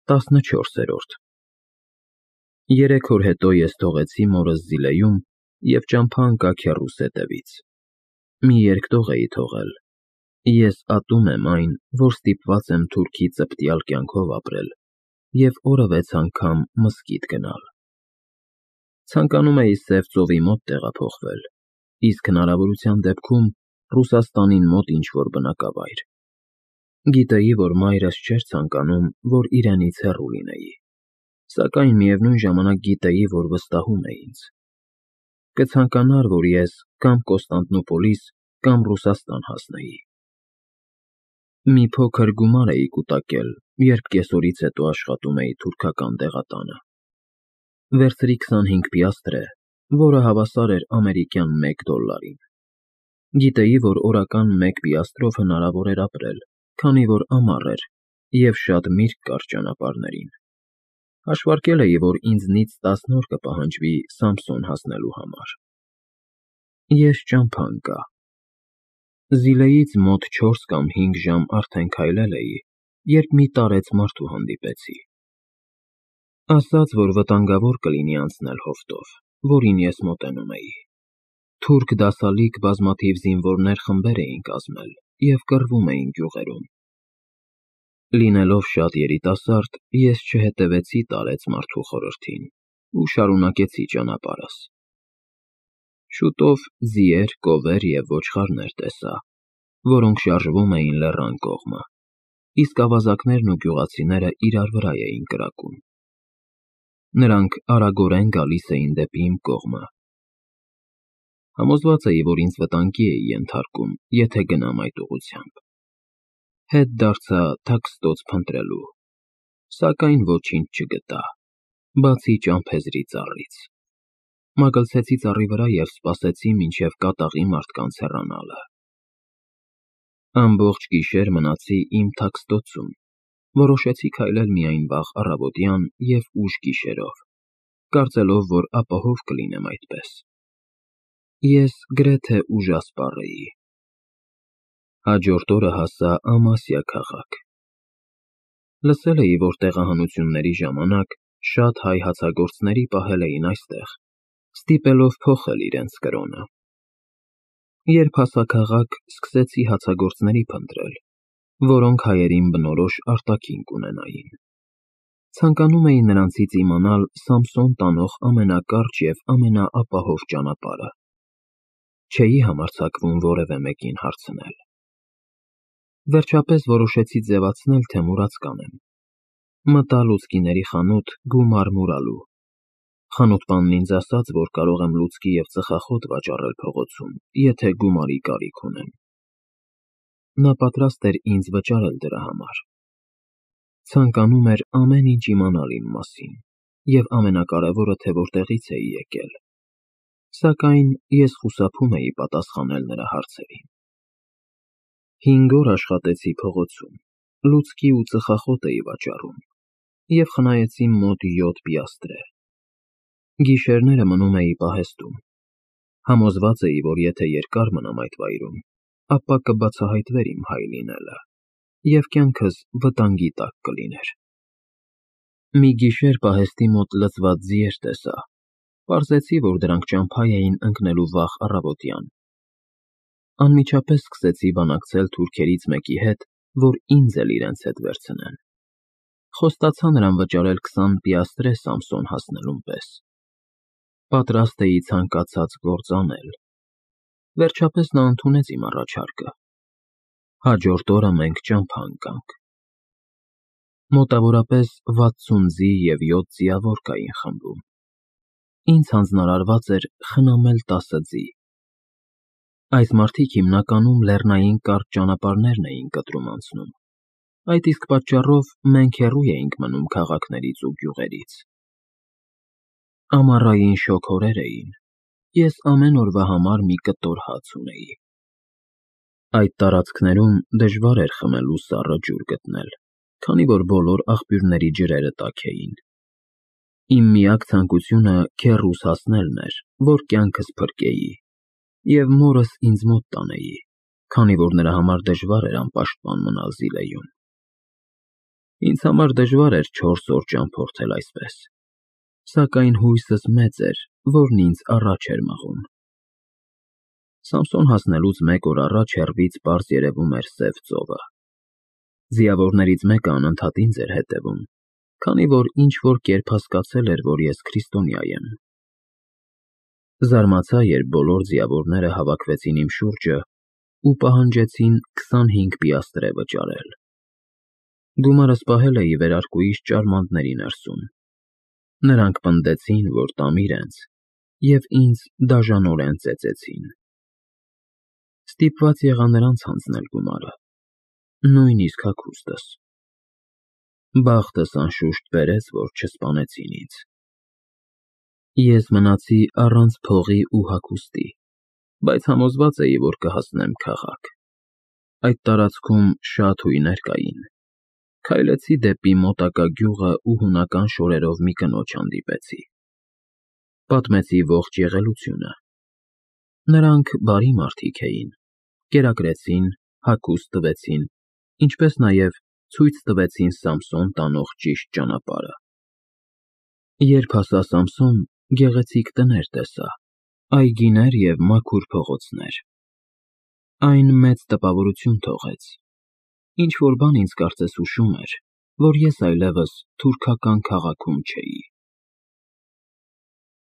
14-րդ Երեք օր հետո ես թողեցի մորս Զիլեյում և ճամփա ընկա քեռուս հետևից։ Մի երկտող էի թողել. ես ատում եմ այն, որ ստիպված եմ թուրքի ծպտյալ կյանքով ապրել և օրը 6 անգամ մզկիթ գնալ։ Ցանկանում էի Սև ծովի մոտ տեղափոխվել, իսկ հնարավորության դեպքում Ռուսաստանին մոտ ինչ-որ բնակավայր։ Գիտեի, որ մայրս չէր ցանկանում, որ իրենից հեռու լինեի, սակայն միևնույն ժամանակ գիտեի, որ վստահում է ինձ։ Կցանկանար, որ ես կամ Կոստանդնուպոլիս, կամ Ռուսաստան հասնեի։ Մի փոքր գումար էի կուտակել, երբ կեսօրից հետո աշխատում էի թուրքական դեղատանը։ Վերցրի 25 պիաստրը, որը հավասար էր ամերիկյան $1։ Գիտեի, որ օրական 1 պիաստրով հնարավոր էր ապրել, քանի որ ամառ էր և շատ միրգ կար ճանապարհներին։ Հաշվարկել էի, որ ինձնից 10 օր կպահանջվի Սամսոն հասնելու համար։ Ես ճամփա ընկա։ Զիլեից մոտ 4 կամ 5 ժամ արդեն քայլել էի, երբ մի տարեց մարդու հանդիպեցի։ Ասաց, որ վտանգավոր կլինի անցնել հովտով, որին ես մոտենում էի։ Թուրք դասալիկ բազմաթիվ զինվորներ խմբեր էին կազմել և կռվում էին գյուղերում։ Լինելով շատ երիտասարդ, ես չհետևեցի տարեց մարդու խորհրդին ու շարունակեցի ճանապարհս։ Շուտով ձիեր, կովեր և ոչխարներ տեսա, որոնք շարժվում էին լեռան կողմը, իսկ ավազակներն ու գյուղացիները իրար վրա էին կրակում։ Նրանք արագորեն գալիս էին դեպի իմ կողմը։ Համոզված էի, որ ինձ վտանգի էի ենթարկում, եթե գնամ այդ ուղղությամբ։ Հետ դարձա թաքստոց փնտրելու, սակայն ոչինչ չգտա, բացի ճամփեզրի ծառից։ Մագլցեցի ծառի վրա և սպասեցի, մինչև կատաղի մարդկանց հեռանալը։ Ամբողջ գիշեր մնացի իմ թաքստոցում, որոշեցի քայլել միայն վաղ առավոտյան և ուշ գիշերով, կարծելով, որ ապահով կլինեմ այդպես։ Ես գրեթե ուժասպառ էի։ Հաջորդ օրը հասա Ամասիա քաղաք։ Լսել էի, որ տեղահանությունների ժամանակ շատ հայ հացագործների պահել էին այստեղ, ստիպելով փոխել իրենց կրոնը։ Երբ հասա քաղաք, սկսեցի հացագործների փնտրել, որոնք հայերին բնորոշ արտաքին կունենային։ Ցանկանում էի նրանցից իմանալ Սամսոն տանող ամենակարճ և ամենաապահով ճանապարհը։ Չէի համարձակվում որևէ մեկին հարցնել։ Վերջապես որոշեցի ձևացնել, թե մուրաց կանեմ։ Մտա լուցկիների խանութ գումար մուրալու։ Խանութպանն ինձ ասաց, որ կարող եմ լուցկի և ծխախոտ վաճառել փողոցում, եթե գումարի կարիք ունեմ։ Նա պատրաստ էր ինձ վճարել դրա համար։ Ցանկանում էր ամեն ինչ իմանալ իմ մասին, և ամենակարևորը, թե որտեղից էի եկել։ Սակայն ես խուսափում էի պատասխանել նրա հարցերին։ 5 օր աշխատեցի փողոցում, լուցկի ու ծխախոտ էի վաճառում և խնայեցի մոտ 7 պիաստրը։ Գիշերները մնում էի պահեստում։ Համոզված էի, որ եթե երկար մնամ այդ վայրում, ապա կբացահայտվեր իմ հայ լինելը, և կյանքս վտանգի տակ կլիներ։ Մի գիշեր պահեստի մոտ լցված ձիեր տեսա։ Պարզեցի, որ դրանք ճամփա էին ընկնելու վաղ առավոտյան։ Անմիջապես սկսեցի բանակցել թուրքերից մեկի հետ, որ ինձ էլ իրենց հետ վերցնեն։ Խոստացա նրան վճարել 20 պիաստրե Սամսոն հասնելուն պես։ Պատրաստ էի ցանկացած գործ անել։ Վերջապես նա ընդունեց իմ առաջարկը։ Հաջորդ օրը մենք ճամփա ընկանք։ Մոտավորապես 60 ձի և 7 ձիավոր կային խմբում։ Ինձ հանձնարարված էր խնամել 10 ձի։ Այս մարդիկ հիմնականում լեռնային կարճ ճանապարհներն էին կտրում անցնում, այդ իսկ պատճառով մենք հեռու էինք մնում քաղաքներից ու գյուղերից։ Ամառային շոգ օրեր էին, ես ամեն օրվա համար մի կտոր հաց ունեի։ Այդ տարածքներում դժվար էր խմելու սառը ջուր գտնել, քանի որ բոլոր աղբյուրների ջրերը տաք էին։ Իմ միակ ցանկությունը քեռուս հասնելն էր, որ կյանքս փրկեի, և մորս ինձ մոտ տանեի, քանի որ նրա համար դժվար էր անպաշտպան մնալ Զիլեյում։ Ինձ համար դժվար էր 4 օր ճամփորդել այսպես, սակայն հույսս մեծ էր, որն ինձ առաջ էր մղում։ Սամսոն հասնելուց 1 օր առաջ հեռվից պարզ երևում էր սև ծովը։ Ձիավորներից մեկը անընդհատ ինձ էր հետևում, քանի որ ինչ-որ կերպ հասկացել էր, որ ես քրիստոնյա եմ։ Զարմացա, երբ բոլոր ձիավորները հավաքվեցին իմ շուրջը ու պահանջեցին 25 պիաստրե վճարել։ Գումարս պահել էի վերարկուիս ճարմանտների ներսում։ Նրանք պնդեցին, որ տամ իրենց, և ինձ դաժանորեն ծեծեցին։ Ստիպված եղա նրանց հանձնել գումարը, նույնիսկ հագուստս։ Բախտս անշուշտ բերեց, որ չսպանեցին ինձ։ Ես մնացի առանց փողի ու հագուստի, բայց համոզված էի, որ կհասնեմ քաղաք։ Այդ տարածքում շատ հույներ կային։ Քայլեցի դեպի մոտակա գյուղը ու հունական շորերով մի կնոջ հանդիպեցի։ Պատմեցի ողջ եղելությունը։ Նրանք բարի մարդիկ էին, կերակրեցին, հագուստ տվեցին, ինչպես նաև ցույց տվեցին Սամսոն տանող ճիշտ ճանապարհը։ Երբ հասա Սամսոն, գեղեցիկ տներ տեսա, այգիներ և մաքուր փողոցներ։ Այն մեծ տպավորություն թողեց։ Ինչ-որ բան ինձ կարծես հուշում էր, որ ես այլևս թուրքական քաղաքում չէի։